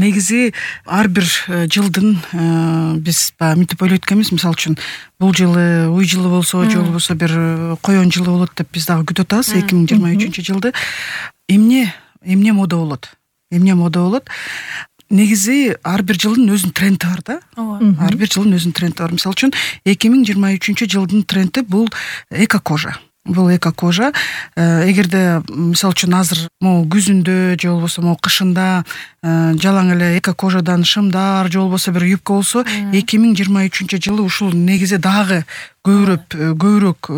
негизи ар бир жылдын биз баягы мынтип ойлойт экенбиз, мисалы үчүн бул жылы уй жылы болсо, же болбосо бир коён жылы болот деп биз дагы күтүп атабыз 2023-жылды. Эмне мода болот? Негизи ар бир жылдын өзүнүн тренди бар да. Ар бир жылдын өзүнүн тренди бар. Мисалы үчүн 2023-жылдын тренди бул эко-кожа. Эгерде мисалы үчүн азыр могу күзүндө же болбосо могу кышында жалаң эле эко-кожадан шымдар же болбосо бир юбка болсо, 2023-жылы ушул негизи дагы көбүрөөк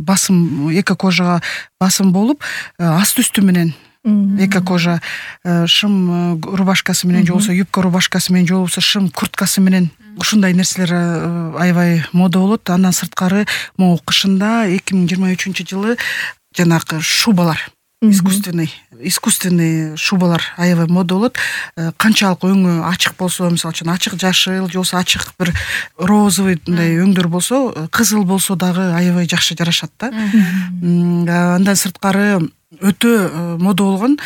басым, эко-кожага басым болуп, асты үстү менен эко-кожа шым рубашкасы менен же болбосо юбка рубашкасы менен же болбосо шым курткасы менен ушундай нерселер аябай мода болот. Андан сырткары могу кышында 2023-жылы жанагы шубалар, искусственный шубалар аябай мода болот. Канчалык өңү ачык болсо, мисалы үчүн ачык жашыл же болбосо ачык бир розовый мындай өңдөр болсо, кызыл болсо дагы аябай жакшы жарашат да. Андан сырткары өтө мода болгон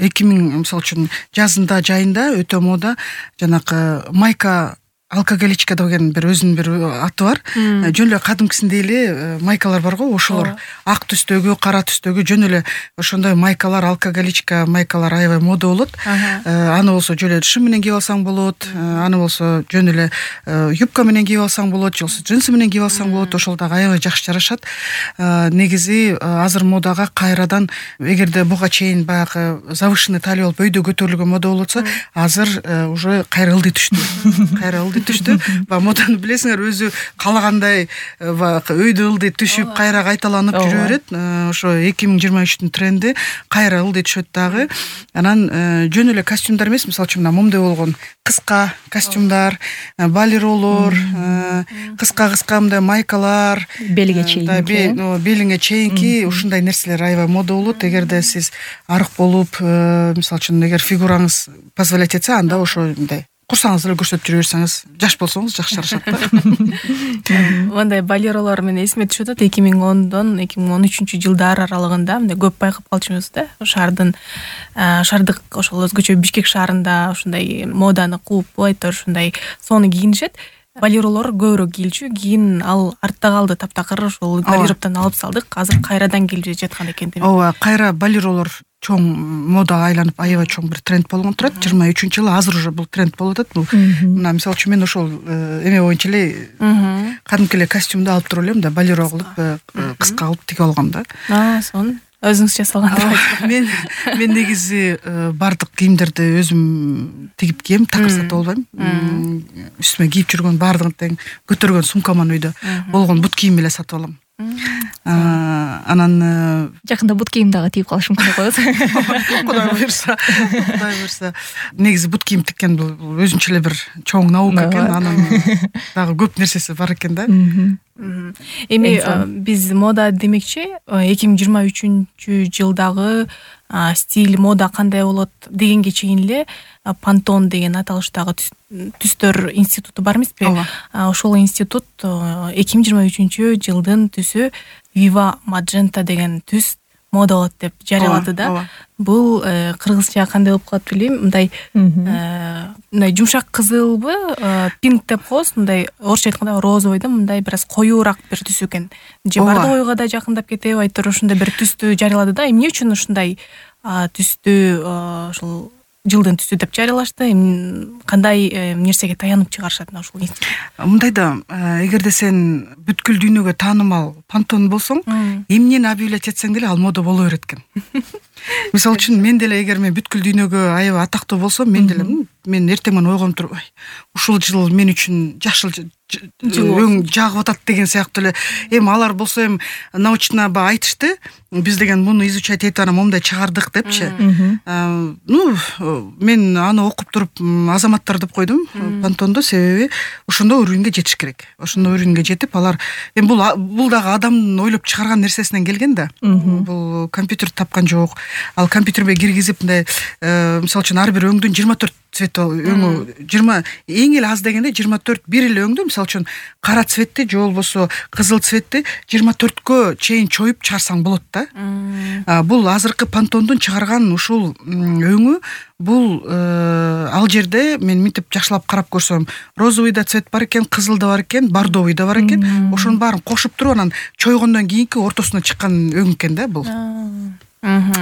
2000 мисалы үчүн жазында, жайында өтө мода жанагы майка алкоголичка деген бир өзүнүн бир аты бар. Жөн эле кадимкисиндей эле майкалар бар го, ошолор ак түстөгү, кара түстөгү жөн эле ошондой майкалар, алкоголичка майкалар аябай мода болот. Аны болсо жөн эле шым менен кийип алсаң болот, аны болсо жөн эле юбка менен кийип алсаң болот, же болбосо джинсы менен кийип алсаң болот. Ошол дагы аябай жакшы жарашат. Негизи азыр модага кайрадан, эгерде буга чейин баягы завышенный талия болуп өйдө көтөрүлгөн мода болуп атса, азыр уже кайра ылдый түштү. Моданы билесиңер, өзү каалагандай өйдө ылдый түшүп, кайра кайталанып жүрө берет. Ошо 2023-түн тренди кайра ылдый түшөт дагы. Анан жөн эле костюмдар эмес, мисалы үчүн момундай болгон кыска костюмдар, балеролор, кыска мындай майкалар, белиңе чейинки ушундай нерселер аябай мода болот. Эгерде сиз арык болуп, мисалы үчүн эгер фигураңыз позволять этсе, анда ошо мындай курсаңыз эле көрсөтүп жүрө берсеңиз, жаш болсоңуз жакшы жарашат да. Мындай балеролор менен эсиме түшүп атат, 2010-дон 2013-жылдар аралыгында мындай көп байкап калчубуз да. Шаардык ошол өзгөчө Бишкек шаарында ушундай моданы кууп, айтор ушундай соону кийинишет. Балеролор көбүрөөк кийилчү, кийин ал артта калды, таптакыр ошол гардеробтон алып салдык. Азыр кайрадан келип жаткан экен деп. Ооба, кайра балеролор чоң модага айланып аябай чоң бир тренд болгон турат. 23-жылы азыр уже бул тренд болуп атат. Бул мына мисалы үчүн мен ошол эме боюнча эле кадимки эле костюмду алып туруп элем да, балеро кылып кыска кылып тигип алгам да. Сонун. Өзүңүз жасалган. Мен негизи бардык кийимдерди өзүм тигип кийем, такыр сатып албайм. Үстүмө кийип жүргөн бардыгын тең көтөргөн сумкаман үйдө болгон бут кийим эле сатып алам. Анан жакында бут кийим дагы тигип калыш мүмкүн коет. Кудай буйрса. Негизи бут кийим тиккен бул өзүнчө эле бир чоң наука экен, анын дагы көп нерсеси бар экен да. Эми биз мода демекчи 2023-жылдагы стиль, мода кандай болот дегенге чейин эле Pantone деген аталыштагы түстөр институту бар эмеспи? Ошол институт 2023-жылдын түсү Viva Magenta деген түс мода болот деп жарыялады да. Бул кыргызча кандай болуп калат билбейм. Мындай жумшак кызылбы, пинк деп коебуз, мындай орусча айтканда розовый да, мындай бир аз коюураак бир түс экен. Же бардык ойго да жакындап кетип, айтор ушундай бир түстү жарыялады да. Эмне үчүн ушундай түстү ошол жылдын түсү деп жарыялашты. Кандай нерсеге таянып чыгарышат ушул институт? Мындай да, эгерде сен бүткүл дүйнөгө таанымал Pantone болсоң, эмнени объявлять этсең деле ал мода боло берет экен. Мисалы үчүн мен деле эгер мен бүткүл дүйнөгө аябай атактуу болсом, мен деле мен эртең менен ойгонуп туруп, ушул жыл мен үчүн жашыл өң жагып атат деген сыяктуу эле. Эми алар болсо эми научно айтышты, биз деген муну изучать этип анан момундай чыгардык депчи. Мен аны окуп туруп азаматтар деп койдум Pantone, себеби ошондой уровеньге жетиш керек. Ошондой уровеньге жетип алар эми бул дагы адамдын ойлоп чыгарган нерсесинен келген да. Бул компьютер тапкан жок. Ал компьютерге киргизип мындай мисалы үчүн ар бир өңдүн 24 цвет өңү 20 эң эле аз дегенде 24 бир эле өңдү, мисалы үчүн кара цветти же болбосо кызыл цветти 24кө чейин чоюп чыгарсаң болот да. Бул азыркы Pantондун чыгарган ушул өңү, бул ал жерде мен мынтип жакшылап карап көрсөм, розовый да цвет бар экен, кызыл да бар экен, бордовый да бар экен. Ошонун баарын кошуп туруп анан чойгондон кийинки ортосуна чыккан өң экен да бул.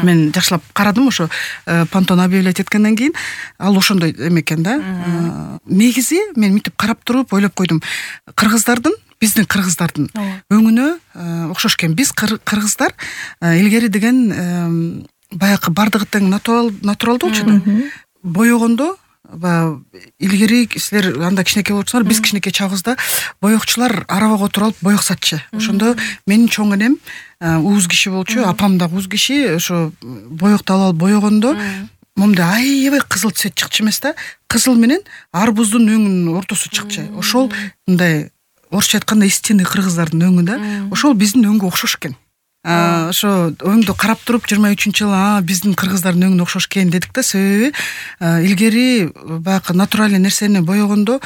Мен жакшылап карадым, ошо Pантон объявлять эткенден кийин ал ошондой эме экен да. Негизи мен мынтип карап туруп ойлоп койдум, биздин кыргыздардын өңүнө окшош экен. Биз кыргыздар илгери деген баягы бардыгы тең натуралдуу болчу да. Боёгондо илгери силер анда кичинекей болчуңар, биз кичинекей чагыбызда боёкчулар арабага отуруп алып боёк сатчу. Ошондо менин чоң энем уз киши болчу, апам да уз киши, ошо боёкту алып боёгондо момда аябай кызыл цвет чыкчу эмес да. Кызыл менен арбуздун өңүнүн ортосу чыкчу. Ошол мындай орусча айтканда истинный кыргыздардын өңү да. Ошол биздин өңгө окшош экен. Ошо өңдү карап туруп 23-жылы биздин кыргыздардын өңүнө окшош экен дедик да. Себеби илгери баягы натуральный нерсени боёгондо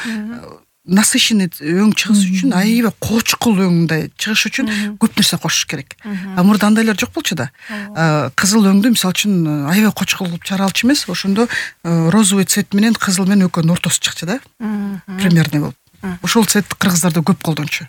насыщенный өң чыгыш үчүн, аябай кочкул өңдөй чыгыш үчүн көп нерсе кошуш керек. Мурда андайлар жок болчу да. Кызыл өңдү мисалы үчүн аябай кочкул кылып чыгара алчу эмес. Ошондо розовый цвет менен кызыл менен экөөнүн ортосу чыкчу да. Примерный болуп. Ошол цвет кыргыздарда көп колдончу.